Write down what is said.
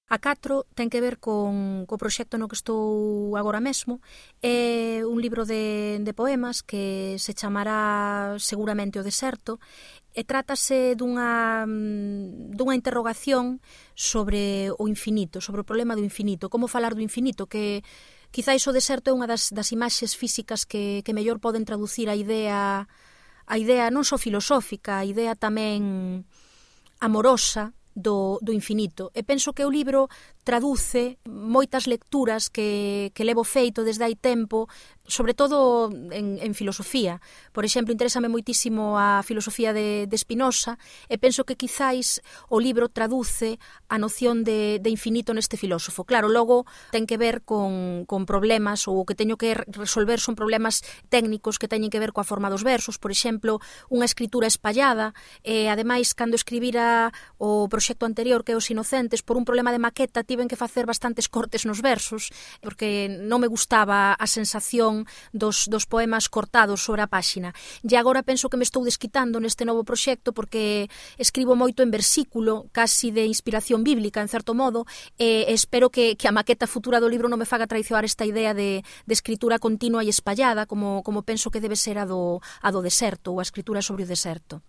A 4 ten que ver co proxecto no que estou agora mesmo. É un libro de poemas que se chamará seguramente O Deserto, e trátase dunha interrogación sobre o infinito, sobre o problema do infinito, como falar do infinito, que quizáis o deserto é unha das imaxes físicas que mellor poden traducir a idea non só filosófica, a idea tamén amorosa do infinito. E penso que o libro traduce moitas lecturas que levo feito desde hai tempo, sobre todo en filosofía. Por exemplo, interésame moitísimo a filosofía de Spinoza, e penso que quizáis o libro traduce a noción de infinito neste filósofo. Claro, logo ten que ver con problemas, ou o que teño que resolver son problemas técnicos que teñen que ver coa forma dos versos, por exemplo, unha escritura espallada, e ademais, cando escribira o proxecto anterior, que é Os Inocentes, por un problema de maqueta tiven que facer bastantes cortes nos versos, porque non me gustaba a sensación dos poemas cortados sobre a páxina. E agora penso que me estou desquitando neste novo proxecto, porque escribo moito en versículo, casi de inspiración bíblica, en certo modo, e espero que a maqueta futura do libro non me faga traizoar esta idea de escritura continua e espallada, como penso que debe ser a do deserto, ou a escritura sobre o deserto.